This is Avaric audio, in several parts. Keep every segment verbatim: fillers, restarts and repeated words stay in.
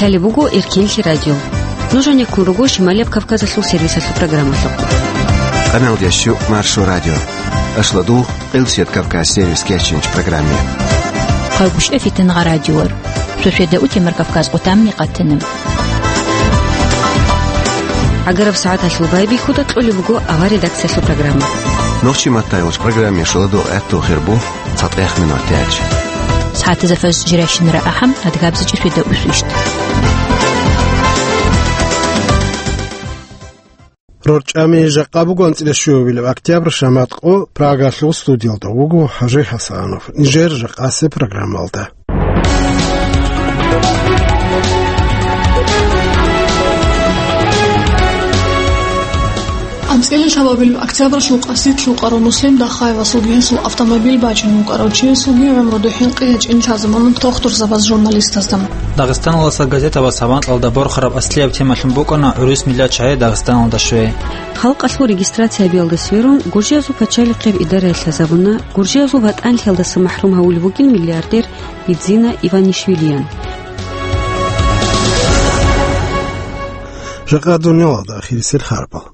Лъалеб буго Эркенлъи радио. Нуж гьанеккун руго Шималияб Кавказалъул сервисалъул программалъухъ. Къаналда щу Маршо радио. Ашладул Къилсият Кавказ сервис кечинч программе. Хъалгушев Фитангъа радиор. Шошеда утемар Кавказ къутамни къатана. Агараб сагӀаталъул байбихьуда кьолеб буго авар редакциялъул программа. Нохчи маттайгъуч программе шуладул гӀаттул хирбу. ЦатӀех минут тяч. СагӀатазда фаз жирайщинара ахӀам, адгабзичӀи свида усвищт. РорчӀами жакъа буго анцӀила щуабилеб октябрь, шамат къо, Прагалъул студиялда вуго ХӀажи ХӀасанов. Нижер жакъасе программалда. АнцӀила щуабилеб октябралъул къасид лъукъарав Муслим Дахаевасулги гьесул автомобиль бачӀине вукӀарав чиясулги гӀумру духӀин къиян чӀинлъазабуна тохтурзабаз журналистазда. Дагъистаналдаса газетабаз гьаб анкьалда борхараб аслияб темалъун букӀана гӀурус миллат чагӀи Дагъистаналда щвей. Халкъалъул регистрация гьабиялда сверун, гуржиязул пачалихъеб идараялъ лъазабуна, гуржиязул ватӀанлъиялдаса махӀрум гьавулев вугин миллиардер Бидзина Иванишвилиян. Жакъа дуниялалда ахирисел харбал.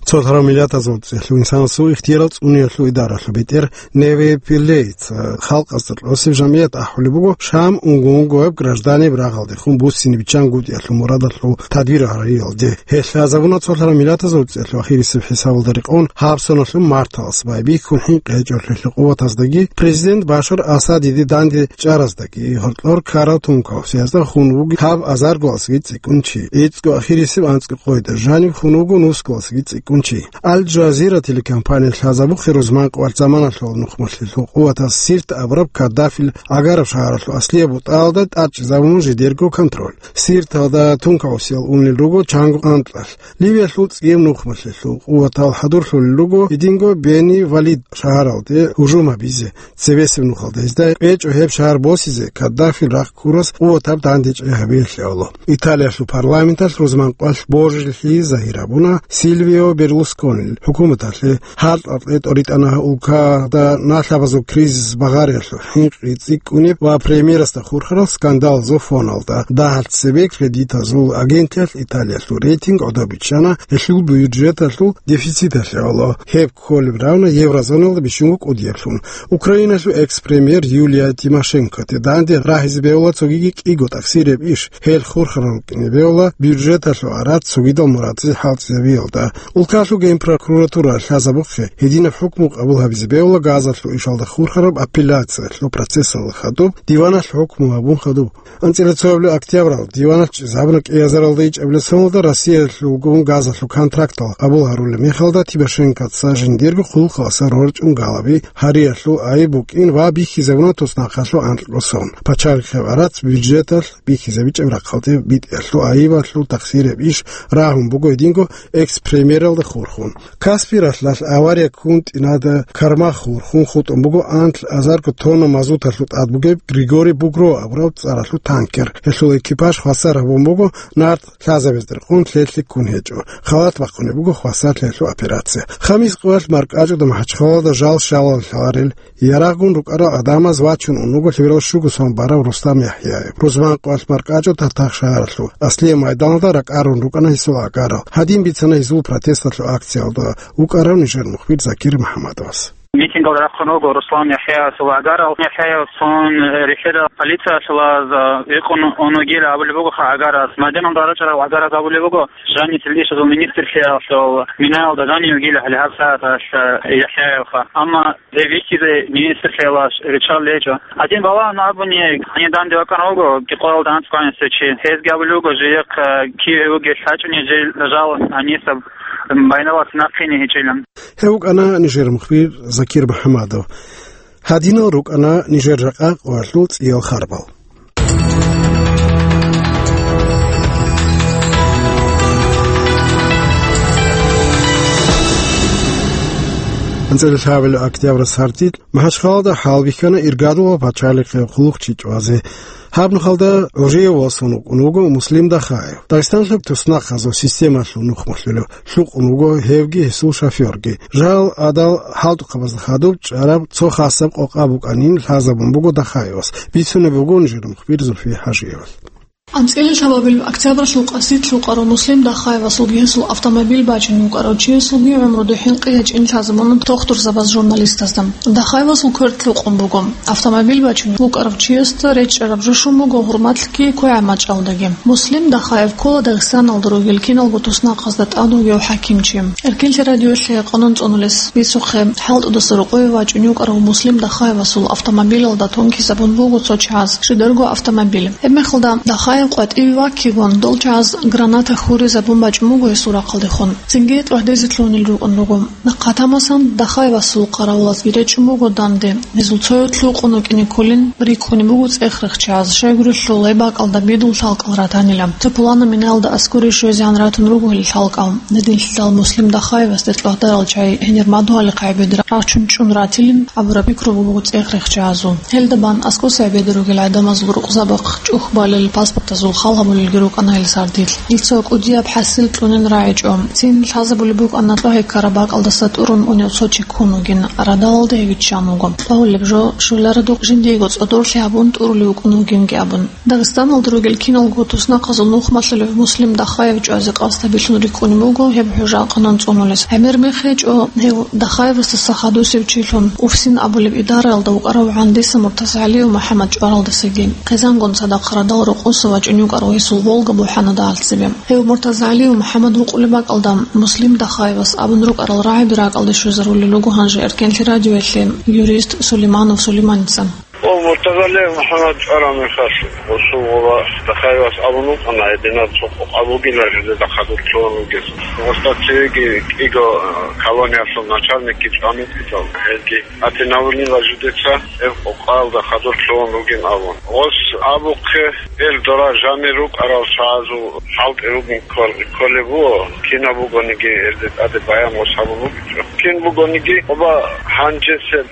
Цолъарав миллатазул цӀехлъу инсанасул ихтиярал цӀуниялъул идаралъул бетӀер Неве Пеллейца халкъазда кьосеб жамгӀият ахӀулеб буго, Шам унго-унгояб гражданиб рагъалдехун буссине биччан гутӀиялъул мурадалъул тадбир гьариялде. Гьелъ лъазабуна цолъарав миллатазул цӀехлъу ахирисеб хӀисабалда рекъон гьаб соналъул марталас байбихьун хӀинкъи гьечӀолъулъул къуватаздаги президент Башар Асадиде данде чӀараздаги гьоркьор ккарав тункал сиязда хун вуги гьаб азарго алсаги цӀикӀкӀун чи. ГӀицӀго ахирисеб анцӀго къойда жаниб хун вуго нусго алсаги цӀикӀкӀун чи. Аль-Жазира телекомпания лъазабухъе рузман къварц заманалъул нухмалъилъул къуватас Сирт абураб Каддафил гӀагараб шагьаралъул аслияб бутӀаялда тӀадчӀезабун жидерго контроль. Сирталда тункаусиял унел руго чанго анкьалъ. Ливиялъул цӀияб нухмалъилъул къуватал хӀадурлъулел руго гьединго Бени Валид шагьаралде гьужум гьабизе. Цебесеб нухалда гьезда кьечӀо гьеб шагьар босизе Каддафил рахъ ккурас къуватаб дандечӀей гьабиялъе гӀоло. Италиялъул парламенталъ рузман къвалъ божилъи загьир гьабуна Сильвио Берлусконил хӀукуматалъе. ХӀалтӀа-кьетӀо ритӀана гьа улкада налъабазул кризис багъариялъул хӀинкъи цӀикӀкӀунеб ва премьерасда хурхарал скандалазул фоналда. Дагьалъ цебе кредитазул агентиялъ Италиялъул рейтинг гӀодоб биччана гьелъул бюджеталъул дефициталъе гӀоло. Гьеб кколеб равна еврозоналда бищунго кӀудияблъун. Украиналъул экс-премьер Юлия Тимошенкоде данде рагьизе бегьула цогиги кӀиго тӀахсиреб иш, гьел хурхарал рукӀине бегьула бюджеталъул гӀарац цогидал мурадзе хӀалтӀизабиялда. Улкалъул генпрокуратура лъазабухъе гьединаб хӀукму къабул гьабизе бегьула газалъул ишалда хурхараб апелляциялъул процессалда хадуб, диваналъ хӀукму гьабун хадуб. АнцӀила цоябли октябрал диваналъ чӀезабуна кӀиазаралда ичӀабилеб соналда Россиялъулгун газалъул контрактал къабул гьарулеб мехалда Тимошенкоца жиндирго хъулухъаласа рорчӀун галаби гьариялъул айиб букӀин ва бихьизабуна туснахъалъул анкьго сон. Пачалихъеб гӀарац бюджеталъ бихьизабичӀеб рахъалде битӀиялъул айибалъул тахсиреб иш рагьун буго гьединго экс-премьералда хурхун. Каспий ралъдалъ авария ккун тӀинада кармах хурхун хутӀун буго анлъ азарго тонна мазуталъул тӀад бугеб Григорий Бугро абураб цӀаралъул танкер. Гьелъул экипаж хвасар гьабун буго нарт лъазабезда рекъон лъелъи ккун гьечӀо. Халат бахъунеб буго хвасарлъиялъул операция. Хамис къоялъ маркӀачӀуда МахӀачхъалада жал щалал лъаларел, ярагъун рукӀарал гӀадамаз вачун ун вуго лъеберал щуго сон барав Рустам ЯхӀяев. Рузман къоялъ маркӀачӀо Татах шагьаралъул аслияб майданалда ракӀарун рукӀана гьесул агарал. Гьадин бицана гьезул протесталъул акциялда вукӀарав нижер мухбир Закир МухӀаммадовас. Митингал рахъун вуго Рустам ЯхӀяевасул агарал. ЯхӀяевасул рихьидал полициялъулаз, э, икъун ун вугил абулеб бугоха агарас. Майданалда рачӀарал агарас абулеб буго, жаниб ишазул министрлъиялъул минаялда жанив вугилан гьале гьаб сагӀаталъ, э, ЯхӀяевха. Амма гьев вихьизе министрлъиялъ риччалел гьечӀо. Гьадин балагьун абуни, гьанив данде вакӀарав вуго, Кикъоялда анцӀго гьанивсев чи. Гьезги абулеб буго, жиехъ, э, кив гьев вугев лъачӀуней жел жал гьанисаб байналас нахъине гьечӀилан. Гьев вукӀана нижер мухбир Закир МухӀаммадов. Гьадинал рукӀана нижер жакъа къоялъул цӀиял харбал. АнцӀила лъабабилеб октябрь сардилъ МахӀачхъалада хӀалбихьана иргадул ва пачалихъе хъулухъчи чӀвазе. Гьаб нухалда гӀужиявасун вукӀун вуго Муслим Дахаев. Дагъистаналъул туснахъазул системалъул нухмалъулев лъукъун вуго гьевги гьесул шофёрги. Жал гӀадал хӀалтӀухъабазда хадуб чӀараб цо хасаб къокъа букӀанин лъазабун буго Дахаевас. Бицунеб буго нижер мухбир Зульфие ХӀажиевалъ. АнцӀила лъабабилеб октябралъул къаси лъукъарав Муслим Дахаевасулги гьесул автомобиль бачӀине вукӀарав чиясулги гӀумру духӀин къи гьечӀин лъазабуна тохтурзабаз журналистазда. Дахаевасул квер лъукъун буго. Автомобиль бачине вукӀарав чиясда речӀчӀараб жо щун буго гьурмалъги квегӀаб мачӀалдаги. Муслим Дахаев ккола Дагъистаналда ругел киналго туснахъазда тӀад вугев хӀакимчи. Эркенлъи радиоялъе къанун цӀунулес бицухъе, хӀалтӀудаса рокъове вачӀун вукӀарав Муслим Дахаевасул автомобилалда тункизабун буго цо чияс шидерго автомобиль. Гьебмехалда Дахаев къватӀиве ваккигун, дол чияс граната хьуризабун бачӀун буго гьесул рахъалдехун. Цинги тӀвагьдезе лъугьунел рукӀун руго. Нахъа тамасан Дахаевасул къаравулазги речӀчӀун буго данде. Гьезул цояв лъукъун вукӀине кколин, рикӀкӀунеб буго цӀех рехчаз, щайгурелъул гьеб бакӀалда бидул лъалкӀал ратанила. Цо пуланаб минаялда аскӀоре щвезегӀан ратун руго гьел лъалкӀал. Гьединлъидал Муслим Дахаевасде тӀвагьдарал чагӀи гьенир мадугьалихъ гӀебедра рагъчун чӀун ратилин абураб пикру буго цӀех рехчазул. Гьелда бан аскӀоса гӀебеде ругел гӀадамазул рукъзабахъ чӀухбалел, паспортазул хал гьабулелги рукӀана гьел сардилъ. Гьел цо кӀудияб хӀасил кьунин рагӀичӀо. Цин лъазабулеб букӀана кьогьеккараб бакӀалдаса тӀурун унев цо чи ккун вугин, радалалда гьев виччан вуго. ТӀагьулеб жо, щвеларадухъ жиндиего цӀодорлъи гьабун тӀурулев вукӀун вугинги абун. Дагъистаналда ругел киналго туснахъазул нухмалъулев Муслим Дахаев чӀвазе къасд гьабилъун рикӀкӀунеб буго гьеб хӀужа къанун цӀунулес. ГӀемер мех гьечӀо гьев Дахаевасдаса хадусев чилъун, УФСИН абулеб идараялда вукӀарав ГӀандиса МуртазагӀалиев МухӀаммад чӀваралдасаги. Хъизангун цадахъ радал рокъоса вачӀун вукӀарав гьесул Волга бухӀана дагьалцебе. Гьев МуртазагӀалиев МухӀаммад вукъулеб бакӀалда Муслим Дахаевас абун рукӀарал рагӀаби ракӀалде щвезарулел руго гьанже Эркенлъи радиоялъе юрист Сулейманов Сулейманица. О, МуртазагӀалиев МухӀаммад чӀвараб мехалъ, гъосул гъоба Дахаевас абун вукӀана, гьединаб цо къокъ бугила жидеда хадур лъугьун вугес. Гъосда цевеги кӀиго, э, колониялъул начальникги чӀван вукӀинчӀо, гьезги гьатинавулила жидеца гьеб къокъалда хадур лъугьун вугин абун. Гъос абухъе, гьел дора жанир рукӀарал чагӀазул хӀалтӀи ругин ккол-, кколеб буго, кинаб бугониги гьезде тӀаде баян гъос гьабун вукӀинчӀо. Кин бугониги, гъоба гьанжесеб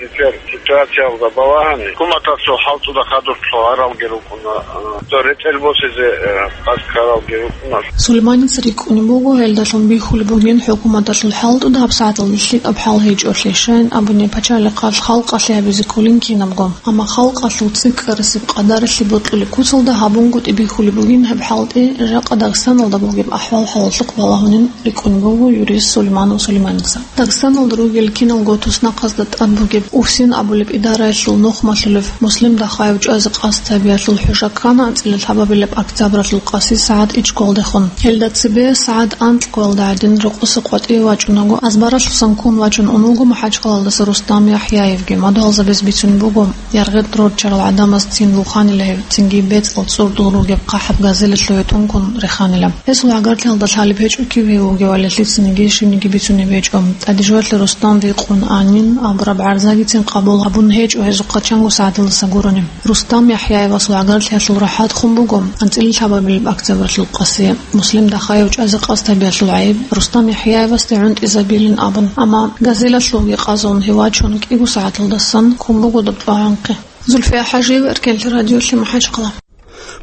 ситуациялда балагьани, хӀукуматалъул хӀалтӀуда хадур лъугьаралги рукӀуна, а, цо ретӀел босизе, а, къасд ккаралги рукӀуна. Сулейманица рикӀкӀунеб буго, гьелдалъун бихьулеб бугин хӀукуматалъул хӀалтӀуда гьабсагӀаталда лъикӀаб хӀал гьечӀолъи, щайин абуни пачалихъалъ халкъалъе гьабизе кколин кинабго. Амма халкъалъул цӀикӀкӀарасеб къадаралъе бокьулеб куцалда гьабунгутӀи бихьулеб бугин гьеб хӀалтӀи, жакъа Дагъистаналда бугеб ахӀвал-хӀалалъухъ балагьунин рикӀкӀунеб буго юрист Сулейманов Сулейманица. Дагъистаналда ругел киналго туснахъазда тӀад бугеб УФСИН абулеб идараялъул нухмалъулев Муслим Дахаев чӀвазе къасд гьабиялъул хӀужа ккана анцӀила лъабабилеб октябралъул къаси сагӀат ичӀго гьалдехун. Гьелда цебе сагӀат анкьго гьалда гӀадин рокъоса къватӀиве вачӀунаго, азбаралъусан ккун вачун ун вуго МахӀачхъалалдаса Рустам ЯхӀяевги. Мадугьалзабаз бицунеб буго, яргъи рорччарал гӀадамаз цин вуханила гьев, цинги бецӀал цӀурдул ругеб хъахӀаб газелалъуве тункун реханила. Гьесул гӀагарлъиялда лъалеб гьечӀо кив гьев вугевали, лъицаниги щибниги бицунеб гьечӀо. ТӀаде жоялъе Рустам рикъун анин абураб гӀарзагицин къабул гьабун гьечӀо гьезухъа чанго сагӀаталдаса гурони. Рустам ЯхӀяевасул гӀагарлъиялъул рахӀат хун буго анцӀила лъабабилеб октябралъул къаси. Муслим Дахаев чӀвазе къасд гьабиялъул гӀайиб Рустам ЯхӀяевасде гӀунтӀизабилин абун, амма газелалъувги къазун гьев вачун кӀиго сагӀаталдасан ккун буго доб тӀвагӀанхъе. Зульфия ХӀажиева, Эркенлъи радиолъи, МахӀачхъала.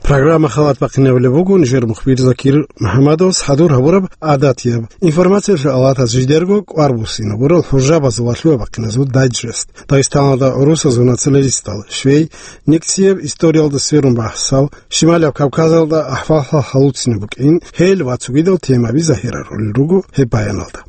Программа халат бахъинабулеб буго нижер мухбир Закир МухӀаммадовас хӀадур гьабураб гӀадатияб информациялъул авлатаз жидерго кӀвар буссинабурал хӀужабазул ва лъугьа-бахъиназул дайджест. Дагъистаналда гӀурусазул националистал, швей, Никцияб историялда сверун бахӀсал, Шималияб Кавказалда ахӀвал-хӀал гьалуцинеб букӀин, гьел ва цогидал темаби загьирарулел руго гьеб баяналда.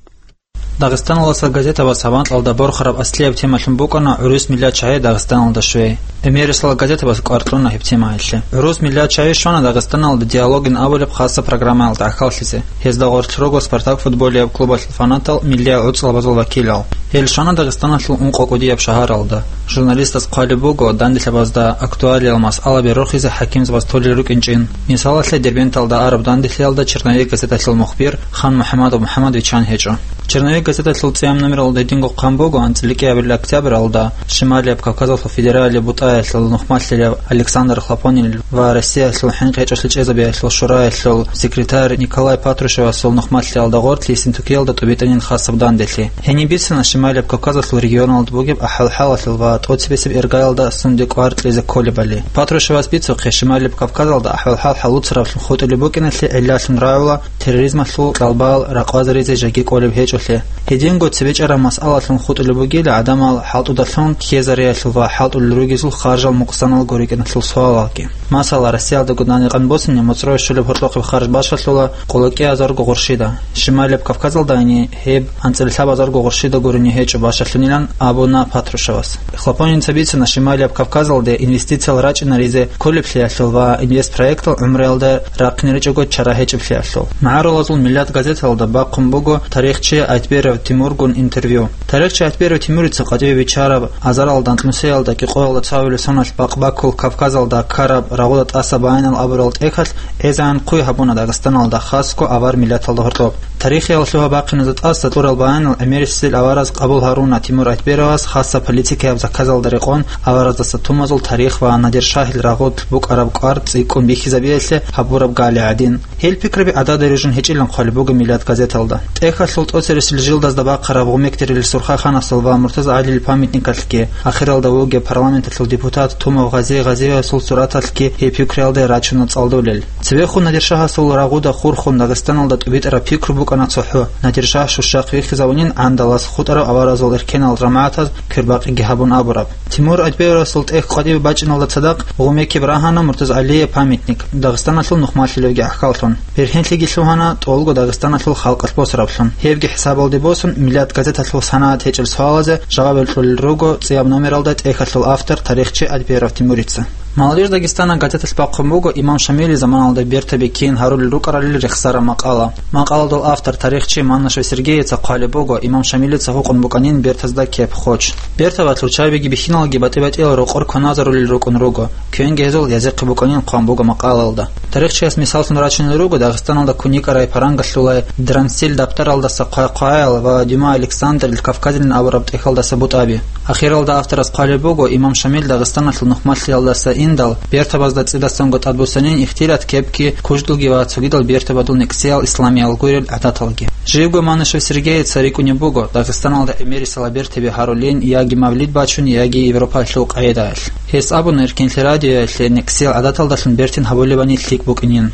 Дагъистаналдаса газетабаз гьаб анкьалда борхараб аслияб темалъун букӀана гӀурус миллат чагӀи Дагъистаналда щвей. Эмерисалда газетабаз кӀвар кьуна гьеб темаялъе. ГӀурус миллат чагӀи щвана Дагъистаналда диалогин абулеб хасаб программаялда гӀахьаллъизе. Гьезда гъорлъ руго «Спартак» футболияб клубалъул фанатал, миллияб гӀуцӀлъабазул вакилал. Гьел щвана Дагъистаналъул ункъо кӀудияб шагьаралда. Журналистаз хъвалеб буго данделъабазда актуалиял масъалаби рохизе хӀакимзабаз толел рукӀинчӀин. Мисалалъе, Дербенталда араб данделъиялда «Черновик» газеталъул мухбир Хан МухӀамадов МухӀамад виччан гьечӀо. «Черновик» газеталъул цӀияб номералда гьединго хъван буго анцӀила кӀиабилеб октябралда Шималияб Кавказалъул федералияб бутӀаялъул нухмалъилев Александр Хлопонин ва Россиялъул хӀинкъичӀолъи чӀезабиялъул шураялъул секретарь Николай Патрушевасул нухмалъиялда гъорлъ Ессентукиялда тӀубитӀанин хасаб данделъи. Гьениб бицана Шималияб Кавказалъул регионалда бугеб ахӀвал-хӀалалъул ва тӀоцебесеб иргаялда сунде кӀвар кьезе кколебали. Патрушевас бицухъе, Шималияб Кавказалда ахӀвал-хӀал гьалуцараблъун хутӀулеб букӀиналъе гӀиллалъун рагӀула терроризмалъул кьалбал ракъвазаризе жеги кӀолеб гьечӀо Гьединго цебе чӀараб масъалалъун хутӀулеб бугила гӀадамал хӀалтӀудалъун ккезариялъул ва хӀалтӀулел ругезул харжал мукъсаналго рикӀкӀиналъул суалалги. Масала, Россиялда гунани къан босине моцӀрое щолеб гьоркьохъеб харж бащалъула къоло кӀиазарго гъурщида, Шималияб Кавказалдайни гьеб анцӀила лъабазарго гъурщида гурони гьечӀо бащалъунилан абуна Патрушевас. Хлопонинца бицана Шималияб Кавказалде инвестициял рачӀинаризе кколеблъиялъул ва инвестпроектал гӀумруялда рахъине ричӀого чара гьечӀеблъиялъул. МагӀарулазул Миллат газеталда бахъун буго тарихчи Айтберов Тимургун интервью. Тарихчи Айтберов Тимурица къватӀибе биччараб азаралда анкьнусиялда кӀикъоялда цо гьавилеб соналъ бакъбаккул Кавказалда ккараб рагъуда тӀаса баянал абурал тӀехьалъ гӀезегӀан хъуй гьабуна Дагъистаналда, хасго авар миллаталда гьоркьоб. Тарихиял лъугьа-бахъиназда тӀаса кьурал баянал гӀемерисел авараз къабул гьаруна Тимур Айтберовас хасаб политикаяб заказалда рекъон авараздаса тумазул тарих ва Надир-шагьил рагъулъ букӀараб кӀвар цӀикӀкӀун бихьизабиялъе гьабураб гали гӀадин. Гьел пикраби гӀадада рижун гьечӀилан хъвалеб буго Миллат газеталда. ТӀехьалъул тӀоцересел жилдазда бахъараб Гъумекдерил Сурхаханасул ва Муртаза ГӀалил памятникалъги, ахиралда вугеб парламенталъул депутат Тумав Гъази Гъазиевасул сураталъги гьеб пикруялде рачуна цӀалдулел. Цебехун Надир-шагьасул рагъуда хурхун Дагъистаналда тӀубитӀараб пикру букӀана цохӀо, Надир-шагь щущахъ вихьизавунин гӀандалас хутӀарав аваразул эркенал жамагӀатаз квербакъиги гьабун абураб. Тимур Айтберовасул тӀехь къватӀибе бачӀиналда цадахъ гъумекиб рагьана Муртаза ГӀалиев памятник, Дагъистаналъул нухмалъилевги гӀахьаллъун. Бергьенлъиги лъугьана тӀолго Дагъистаналъул халкъалъ босараб лъун. Гьебги хӀисабалде босун, Миллат газеталъул санагӀат гьечӀел суалазе жаваб кьолел руго цӀияб номералда тӀехьалъул автор тарихчи Айтберов Тимурица. Молодежь Дагестана газеталъ бахъун буго Имам Шамилил заманалда бертаби кин гьарулел рукӀаралил рехсараб макъала. Макъаладул автор тарихчи Маннашев Сергеевица хъвалеб буго Имам Шамилица гьукъун букӀанин бертазда кеп-хоч. Бертабазул чайбиги бихьиналги батӀи-батӀиял рокъор кваназарулел рукӀун руго, квенги гьезул язихъе букӀанин хъван буго макъалаялда. Тарихчияс мисаллъун рачунел руго Дагъистаналда куникарай, парангалъулай, Дрансил дабтаралдаса хъвай-хъваял ва Дюма Александрил Кавказилин абураб тӀехьалдаса бутӀаби. Ахиралда авторас хъвалеб буго Имам Шамил Дагъистаналъул нухмалъиялдаса индал, бертабазда цӀидасанго тӀадбуссанин ихтилат кепги, куждулги ва цогидал бертабазул некӀсиял исламиял гурел гӀадаталги. Живго Маннашев Сергеевица рикӀкӀунеб буго Дагъистаналда гӀемерисела бертаби гьарулин яги мавлид бачун, яги Европалъул къагӀидаялъ. Гьес абуна, Эркенлъи радиоялъе некӀсиял гӀадаталдалъун бертин гьабулебани лъикӀ букӀинин.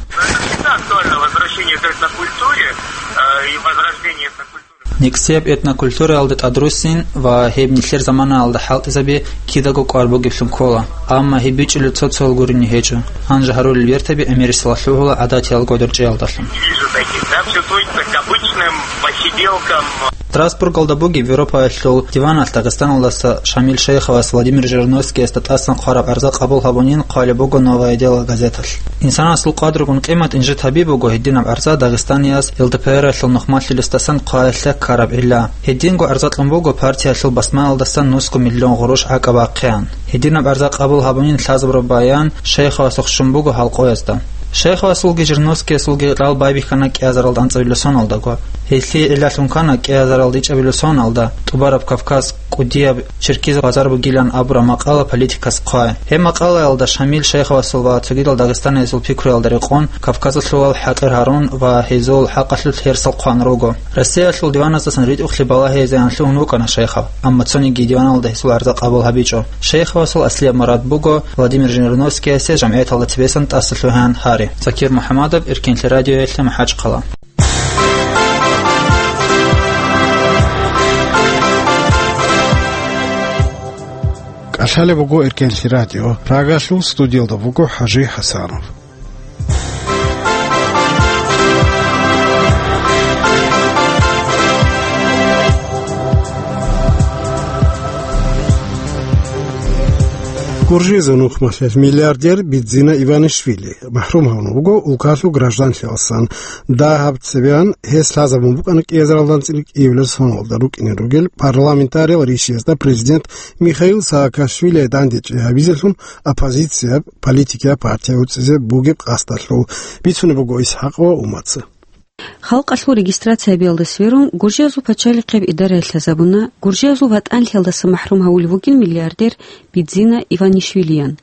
Актуально возвращение к этнокультуре, э, и возрождение этнокультуры. НекӀсияб этнокультураялда тӀадруссин ва гьеб нилъер заманаялда хӀалтӀизаби кидаго кӀвар бугеблъун ккола, амма гьеб бичӀчӀулеб цо-цоял гурони гьечӀо. Гьанже гьарулел бертаби гӀемерисела лъугьула гӀадатиял гӀодор чӀеялдалъун. Не вижу таких, да, всё сводится к обычным посиделкам. Страсбургалда бугеб Европаялъул диваналъ Дагъистаналдаса Шамил шайхавас Владимир Жириновскиясда тӀасан хъвараб гӀарза къабул гьабунин хъвалеб буго «Новое дело» газеталъ. Инсанасул къадру-къимат инжит гьаби буго гьединаб гӀарза дагъистанияс ЛДПРалъул нухмалъилесдасан хъваялъе ккараб гӀилла. Гьединго гӀарза кьун буго партиялъул басмаялдасан нусго миллион гъурущ гӀакӀаб бахъеян. Гьединаб гӀарза къабул гьабунин лъазабураб баян шайхавасухъ щун буго гьалкъоязда. Шайхавасулги Жириновскиясулги рал байбихьана кӀиазаралда анцӀабилеб соналдаго. Гьелъие гӀиллалъун ккана кӀиазаралда ичӀабилеб соналда, ТӀубараб Кавказ, кӀудияб Черкизаб базар бугилан абураб макъала политикас хъвай. Гьеб макъалаялда Шамил шайхавасул ва цогидал дагъистаниязул пикруялда рекъон Кавказалъулал хӀакъир гьарун ва гьезул хӀакъалъулъ гьерсал хъван руго. Россиялъул диваназдасан ритӀухълъи балагьизе анлъугьун вукӀана шайхав, амма цониги диваналда гьесул гӀарза къабул гьабичӀо. Шайхавасул аслияб мурад буго Владимир Жириновскиясе жамгӀияталда цебесан тӀаса лъугьаян гьари. Закир МухӀамадов, Эркенлъи радиоялъе, МахӀачхъала. КӀалъалеб буго Эркенлъи радио. Прагалъул студиялда буго ХӀажи ХӀасанов. Гуржиязул нухмалъиялъ миллиардер Бидзина Иванишвили махӀрум гьавун вуго улкалъул гражданлъиялдасан. Дагьаб цебеян гьес лъазабун букӀана кӀиазаралда анцӀила кӀиабилеб соналда рукӀине ругел парламентариял ришиязда президент Михаил Саакашвилие дандечӀей гьабизелъун оппозицияб политикияб партия уцӀизе бугеб къасдалъул, бицунеб буго ИсхӀакъ ва Умаца. Халкъалъул регистрация гьабиялда сверун, Гуржиязул пачалихъияб идараялъ лъазабуна Гуржиязул ватӀанлъиялдаса махӀрум гьавулев вугин миллиардер Бидзина Иванишвилиян.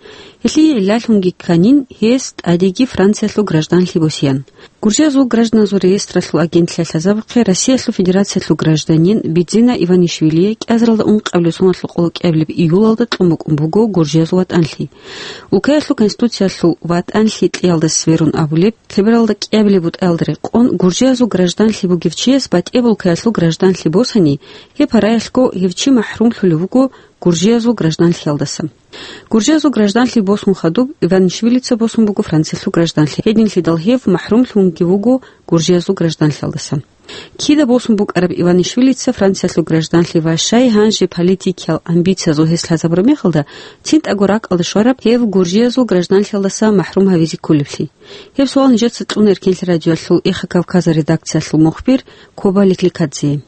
Гьелъие гӀиллалъунги кканин гьес тӀадеги Франциялъул гражданлъи босеян. Гуржиязул гражданазул реестралъул агентлъиялъ лъазабухъе Россиялъул Федерациялъул гражданин Бидзина Иванишвилие кӀиазаралда ункъабилеб соналъул къоло кӀиабилеб июлалда кьун букӀун буго Гуржиязул ватӀанлъи. Улкаялъул Конституциялъул ватӀанлъи кьеялда сверун абулеб, лъебералда кӀиабилеб бутӀаялда рекъон, гуржиязул гражданлъи бугев чияс батӀияб улкаялъул гражданлъи босани, гьеб гьараялъго гьев чи махӀрумлъулев вуго гуржиязул гражданлъиялдаса. Гуржиязул гражданлъи босун хадуб, Иванишвилица босун буго Франциялъул гражданлъи. Гьединлъидал гьев махӀрумлъунги вуго гуржиязул гражданлъиялдаса. Кида босун букӀараб Иванишвилица Франциялъул гражданлъи ва щай гьанже политикиял амбициязул гьес лъазабураб мехалда, цинтӀаго ракӀалда щвараб гьев гуржиязул гражданлъиялдаса махӀрум гьавизе кколеблъи? Гьеб суал нижеца кьуна Эркенлъи радиоялъул Эхо Кавказа редакциялъул мухбир Коба Ликликадзе.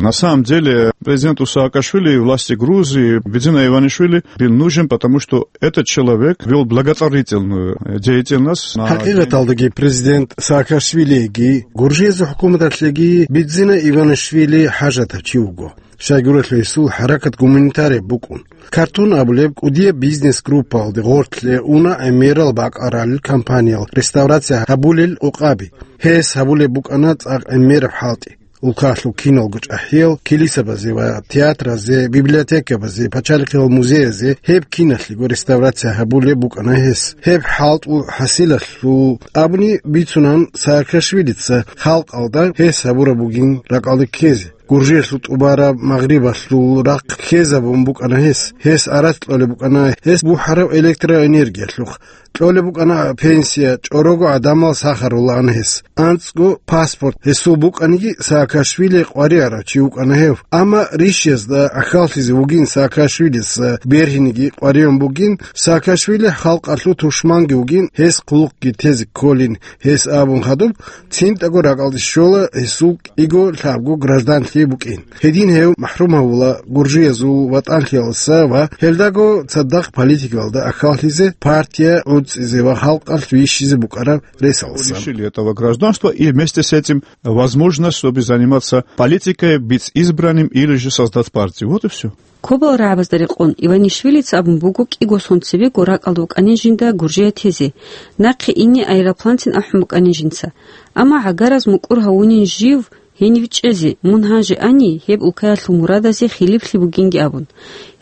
На самом деле, президенту Саакашвили и власти Грузии Бидзина Иванишвили был нужен, потому что этот человек вел благотворительную деятельность на... ХӀакъикъаталдаги президент Саакашвилиеги, Гуржиязул хӀукуматалъеги Бидзина Иванишвили хӀажатав чи вуго. Щайгурелъул гьесул хӀаракат гуманитарияб букӀун. Картун абулеб кӀудияб бизнес-группаялде гъорлъе уна гӀемерал бакӀарал компаниял реставрация гьабулел къокъаби. Гьес гьабулеб букӀана цӀакъ гӀемераб хӀалтӀи. Улкалъул киналго чӀахӀиял килисабазе ва театразе, библиотекабазе, пачалихъиял музеязе гьеб киналъего реставрация гьабулеб букӀана гьес. Гьеб хӀалтӀул хӀасилалъул абуни бицунан Саакашвилица халкъалда гьес гьабураб бугин ракӀалде ккезе. Гуржиялъул тӀубараб, Магърибалъул рахъ ккезабун букӀана гьес. Гьес арац кьолеб букӀана гьес бухӀараб электроэнергиялъухъ. Кьолеб букӀана пенсия, чӀорого гӀадамал сахарулаан гьес. АнцӀго паспорт гьесул букӀаниги, Саакашвили къваригӀарав чи вукӀана гьев. Амма рищиязда гӀахьаллъизе вугин Саакашвилица, бергьинеги къваригӀун бугин, Саакашвили халкъалъул тушманги вугин, гьес хъулухъги тезе кколин, гьес абун хадуб, цинтӀаго ракӀалде щола гьесул кӀиго-лъабго гражданлъи букӀин. Гьедин гьев махӀрум гьавула гуржиязул ватӀанлъиялдаса ва гьелдаго цадахъ политикаялда гӀахьаллъизе, партия гӀуцӀизе ва халкъалъ вищизе букӀараб ресалдасан. Лишили этого гражданства и вместе с этим возможность, чтобы заниматься политикой, быть избранным или же создать партию. Вот и всё. Кобал рагӀабазда рекъон, Иванишвилица абун буго кӀиго сон цебего ракӀалда вукӀанин жинда Гуржия тезе, нахъе ине аэропланцин ахӀун букӀанин жинца. Амма гӀагараз мукӀур гьавунин жив гьенив чӀезе, мун гьанже ани, гьеб улкаялъул мурадазе хилиплъи бугинги абун.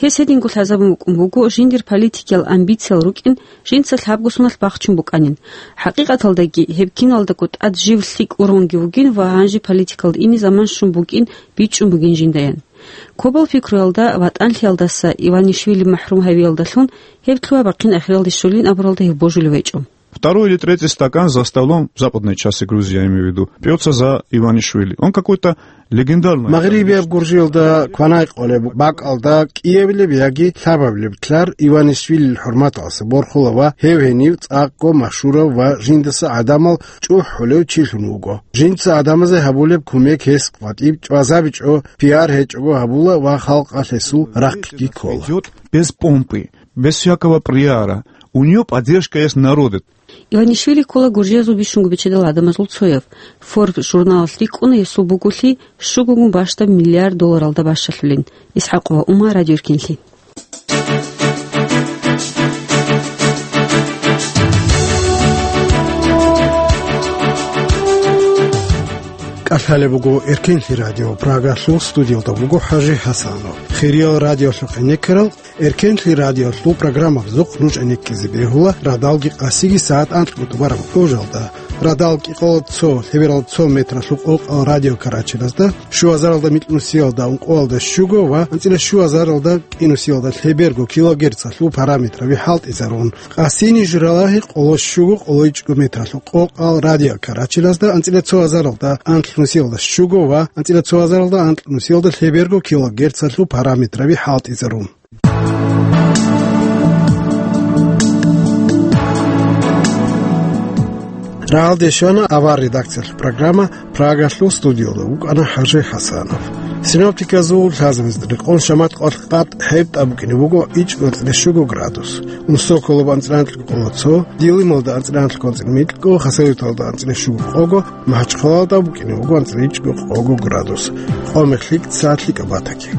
Гьес гьединго лъазабун букӀун буго, жиндир политикиял амбициял рукӀин жинца лъабго соналъ бахчун букӀанин. ХӀакъикъаталдаги, гьеб киналдаго тӀад жив лъикӀ уронги вугин ва гьанже политикалда ине заман щун букӀин бичӀчӀун бугин жиндаян. Кобал пикруялда, ватӀанлъиялдаса Иванишвили махӀрум гьавиялдалъун гьеб лъугьа-бахъин ахиралде щолин абуралда гьев божулев гьечӀо. Второй или третий стакан за столом в западной части Грузии, я имею в виду, пьётся за Иванишвили. Он какой-то легендарный. Магърибияб Гуржиялда кванай къолеб бакӀалда кӀиабилеб яги лъабабилеб лъар Иванишвилил хӀурматалъе борхула ва гьев гьенив цӀакъго машгьурав ва жиндаса гӀадамал чӀухӀулев чилъун вуго. Жинца гӀадамазе гьабулеб кумек гьес къватӀиб чӀвазабичӀо, пиар гьечӀого гьабула ва халкъалъ гьесул рахъги ккола. Идёт без помпы, без всякого пиара. У неё поддержка есть народа. Иванишвили ккола Гуржиязул бищунго бечедал гӀадамазул цояв. Forbes журналалъ рикӀкӀуна гьесул буголъи щугогун бащдаб миллиард долларалда бащалъулин. Исхакова Ума, Радио Эркенлъи. КӀалъалеб буго Эркенлъи радио, Прагалъул студиялда вуго ХӀажи ХӀасанов. Хириял радиолъухъ гӀенеккарал, Эркенлъи радиолъул программабазухъ нуж гӀенеккизе бегьула радалги къасиги сагӀат анкьго тӀубараб къужалда. Радал кӀикъоялда цо, лъебералда цо метралъул къокъал радиокарачелазда, щуазаралда микьнусиялда ункъоялда щуго ва анцӀила щуазаралда кӀинусиялда лъеберго килогерцалъул параметраби хӀалтӀизарун. Къасини журалагьи къоло щуго къоло ичӀго метралъул къокъал радиокарачелазда, анцӀила цоазаралда анкьнусиялда щуго ва анцӀила цоазаралда анкьнусиялда лъеберго килогерцалъул параметраби хӀалтӀизарун. Рагьалде щвана авар редакциялъул программа, Прагалъул студиялда вукӀана ХӀажи ХӀасанов. Синоптиказул лъазабазда рекъон шамат къвалъ къад хӀебтӀа букӀине буго ичӀго анцӀила щуго градус. Унсоколоба анцӀила анкьго къоло цо, Дилималда анцӀила анкьго анцӀила микьго, Хасавюрталда анцӀила щуго къого, МахӀачхъалалда букӀине буго анцӀила ичӀго къого градус. Къо-мех лъикӀ, сагӀат лъикӀаб батаги.